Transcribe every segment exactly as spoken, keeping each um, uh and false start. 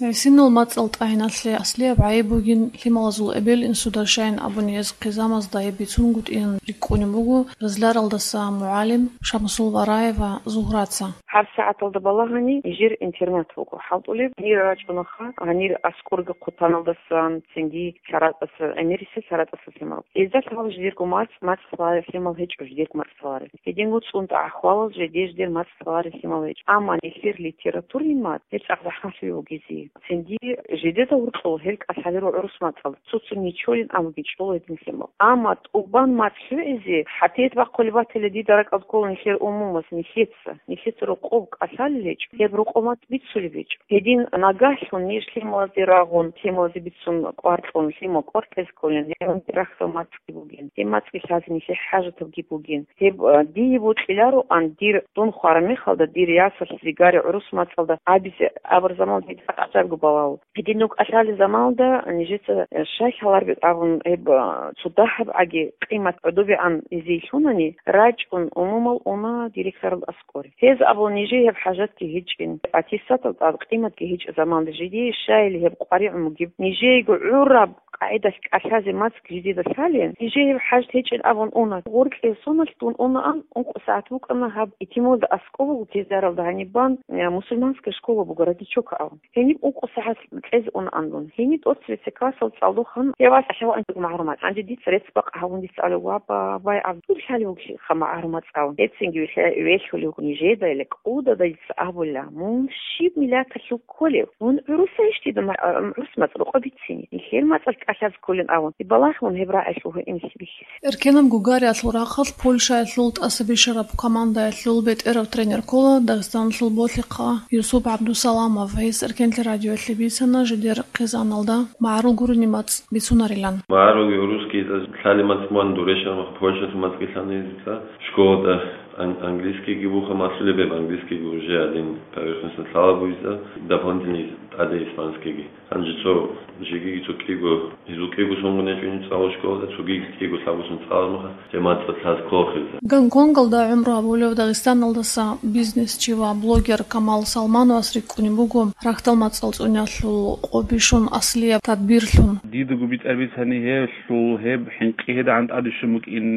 ГӀисинал мацӀал тӀагӀиналъе аслияб гӀайиб бугин, лъималазул эбел-инсуда щайин абуни гьез хъизамазда гьеб бицунгутӀиялъ рикӀкӀунеб буго Ризларалдаса мугӀалим Шамсул Вараева Зугьраца. ГьабсагӀаталда балагьани нижер интернат буго хӀалтӀулеб. Гьанир рачӀунаха, гьанир аскӀорги хъутаналдасан, цинги лъаратӀаса, гӀемерисел лъаратӀаса лъимал. Гьезда лъала жидерго мацӀ, мацӀ лъаларел лъимал гьечӀо, жидерго мацӀ лъаларел. Гьединго цӀун тӀагӀахъ валал жеде-жедер мацӀ лъаларел лъимал гьечӀо. Амма нилъер литературный мацӀ, гьеб цӀакъ захӀмалъуе вугези. Цинги жидеда гьоркьоб гьел кӀалъалел гӀурус мацӀалда цо-цо нечолин абуги чӀола гьедин лъимал. Амма тӀубан мацӀ лъугӀизе, хӀатият бахъулеб батила дида ракӀалда ккола нилъер умумас, нилъеца, нилъеца рокъоб кӀалъалел гьечӀо, гьеб рокъоб мацӀ бицулеб гьечӀо. Гьедин нагагьлъун ниж лъималазде рагъун, лъималазе бицун кӀвар кьун, лъимал кӀвар кьезе кколин, гьеб рахьдал мацӀги бугин, гьеб мацӀги лъазе нилъее хӀажатабги бугин. Гьеб, а, дие бокьилароан дир, дун хвараб мехалда, дир ясалъ, зигари гӀурус мацӀалда абизе абураб заман дида цӀакъ гӀажабго балагьун. Гьедин нугӀ кӀалъалел заманалда нижеца, э, щай лъалареб абун гьеб, а, цо дагьаб гӀаги къимат гӀодобегӀан гьезие лъунани, рачӀун умумал уна директоралда аскӀоре. Гьез абула нижее гьеб хӀажатги гьечӀин, аттестатал тӀад къиматги гьечӀеб заманалда жидее щайили гьеб къваригӀун бугеб, нижеего гӀураб къагӀидалъ кӀалъазе мацӀ жидеда лъалин, нижее гьеб хӀажат гьечӀин абун уна. Гъоркье соналъ дун унаан, ункъо сагӀат букӀана гьаб итималда аскӀоб буго Кизляралда гьаниб бан, э, мусульманская школа буго, Родичок абун. Гьениб ункъо сагӀат кьезе унаан дун. Гьениб тӀоцебесеб классалда цӀалдохъан гьев валъ ахӀван гьанжего магӀарул мацӀ. Гьанже дица рецц бакъ гьабун дица абулеб: «Ва, ба-, бай, ГӀабдул, лъалев вугищха магӀарул мацӀ», – абун. Гьецинги вихьа-, вехьулев вуго нижеда, или кӀудада дица абула: «Мун щиб миллаталъул кколев? Мун гӀурусайищ дида ма-, а, гӀурус мацӀ рокъоб бицине? Нилъер мацӀалъ кӀалъазе кколин», – абун. Балагьун гьеб рагӀалъул гьуинлъи бихьизе. Эркенаб гугариялъул рахъалъ Польшаялъул тӀасабищараб командаялъул бетӀерав тренер ккола Дагъистаналъул болъихъа Юсуп ГӀабдусаламов. Гьес Эркенлъи радиоялъе бицана жидер хъизаналда магӀарул гурони мацӀ бицунарилан. МагӀарулги гӀурусги лъалеб мацӀ мун дурешараб мехалъ Польшалъул мацӀги лъана гьезда. Школада ан-, английскийги буха малъулеб, гьеб английскийги уже гьадин поверхностно лъала бугезда, дополнительный тӀаде испанскийги. Гьанже цо жеги цо кӀиго, гьезул кӀиго соналда гьечӀони цӀалу школада, цоги кӀиго лъабго сон цӀалараб мехалъ, гьеб мацӀ лъаз ккола гьезда. Гонконгалда гӀумру гьабулев Дагъистаналдаса бизнесчи ва блогер Камал Салмановас рикӀкӀунеб буго рахьдал мацӀал цӀуниялъул къо бищун аслияб тадбирлъун. Дидаго битӀараб бицани гьелъул гьеб хӀинкъи гьедигӀан тӀаде щун букӀин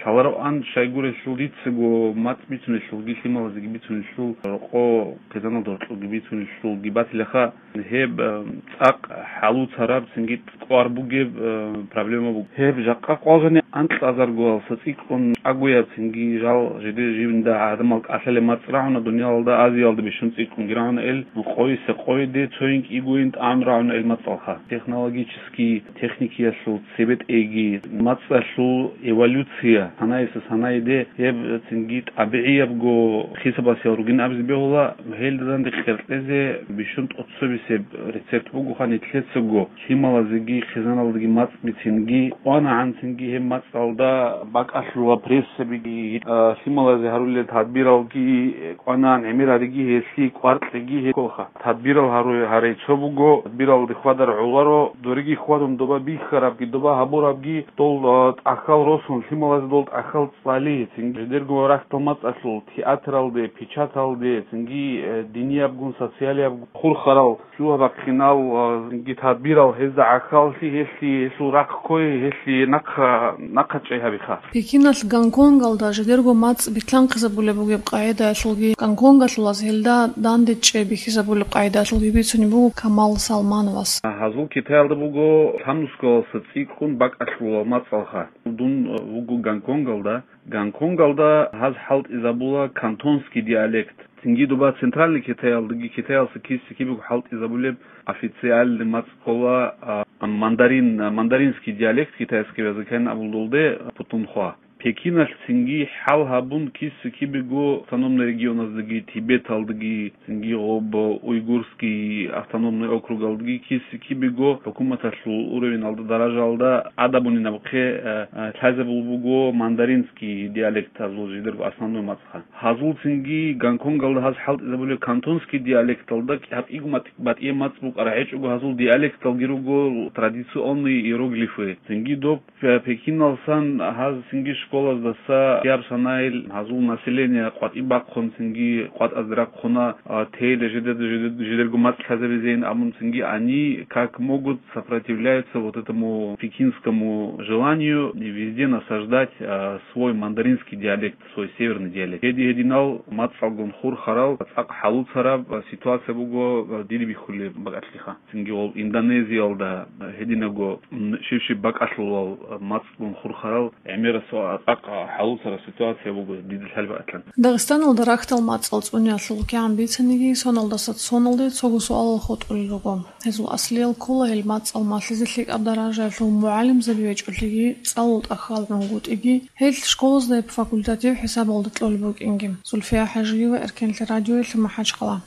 лъалароан, щайгурелъул дицаго мацӀ бицунелъулги, лъималазеги бицунелъул, рокъо хъизаналда гьоркьобги бицунелъулги батилаха. Гьеб, э, цӀакъ хӀалуцараб, цинги кӀвар бугеб, э, проблема буго. Гьеб жакъа къвалжани анкьазаргоялдаса цӀикӀкӀун чӀагояб, цинги жал жиде-, жинда гӀадамал кӀалъалеб мацӀ рагӀуна, дуниялалда, Азиялда бищун цӀикӀкӀунги рагӀуна ил, къойиса къойиде, цоян кӀигоян тӀагӀун рагӀуна ил мацӀалха. Технологический, техникиялъул цебетӀейги, мацӀалъул эволюция, санаялдаса санаялде, гьеб цинги тӀабигӀиябго хисабалъ ругин абизе бегьула, гьелда данде къеркьезе бищун тӀоцебесеб рецепт бугоха нилъецаго, лъималазеги хъизаналдаги мацӀ бицинги, кӀванагӀан цинги гьеб мацӀалда бакӀалъула прессабиги, а, лъималазе гьарулел тадбиралги, кӀванагӀан гӀемер гьариги, гьелъие кӀвар кьеги гьеколха. Тадбирал гьару-, гьарай цо буго, тадбиралде хьвадар гӀоларо, дореги хьвадун доба бихьарабги, доба гьабурабги, дол, а, тӀахьал росун, лъималазе дол тӀахьал цӀали, цинги жидерго рахьдал мацӀалъул, театралде, печаталде, цинги, э, диниябгун, социалиябгун хурхарал, лъугьа-бахъинал, а, цинги тадбирал гьезда гӀахьаллъи, гьелъие, гьелъул рахъ кквей, гьелъие нахъа, нахъа чӀей гьабиха. Пекиналъ Гонконгалда жидерго мацӀ битлъанхъизабулеб бугеб къагӀидаялъулги, гонконгалъулаз гьелда данде чӀей бихьизабулеб къагӀидаялъулги бицунеб буго Камал Салмановас. Гьазул Китаялда буго лъабнусгалдаса цӀикӀкӀун бакӀалъула мацӀалха. Дун вуго Гонконгалда. Гонконгалда гьаз хӀалтӀизабула кантонский диалект. Цинги доба Центральный Китаялдаги Китаялдаса киса-кибего хӀалтӀизабулеб официальный мацӀ ккола, а, мандарин, мандаринский диалект, китайского языка абулдулде, путунхва. Пекиналъ цинги хӀал гьабун киса-кибего автономный регионаздаги, Тибеталдаги, цинги гъоб Уйгурский автономный округалдаги киса-кибего хӀукуматалъул уровеналда, даражаялда ада бунинабухъе, э, э, лъазабул буго мандаринский диалект, гьазул жидерго основной мацӀ. Гьазул цинги Гонконгалда гьаз хӀалтӀизабулеб кантонский диалекталда гьаб кӀиго мат-, батӀияб мацӀ букӀараб гьечӀого, гьазул диалекталги руго традиционные иероглифы. Цинги доб Пе-, Пекиналсан гьаз цинги ш-, Школаздаса гьаб санайил гьазул население къватӀиб бахъун, цинги къватӀазде рахъуна, а, тейла жидеда-, жидед-, жидерго мацӀ лъазабизейин абун, цинги они как могут сопротивляются вот этому пекинскому желанию везде насаждать, а, свой мандаринский диалект, свой северный диалект. Гьеди-гьединал мацӀалгун хурхарал цӀакъ хӀалуцараб, а, ситуация буго, а, диде бихьулеб бакӀалъиха. Цинги гьав Индонезиялда гьединаго, м, щив-щив бакӀалъулал мацӀлъун хурхарал гӀемерасул цӀакъ хӀалуцараб ситуация буго дида лъалеб батӀан. Дагъистаналда рахьдал мацӀал цӀуниялъул кигӀан бицаниги, соналдаса соналде цого суалал хутӀулел руго. Гьезул аслиял ккола гьел мацӀал малъизе лъикӀаб даражаялъул мугӀалимзаби гьечӀолъиги, цӀалул тӀахьал гӀунгутӀиги, гьел школазда гьеб факультатив хӀисабалда кьолеб букӀинги. Зульфия ХӀажиева, Эркенлъи радиоялъе, МахӀачхъала.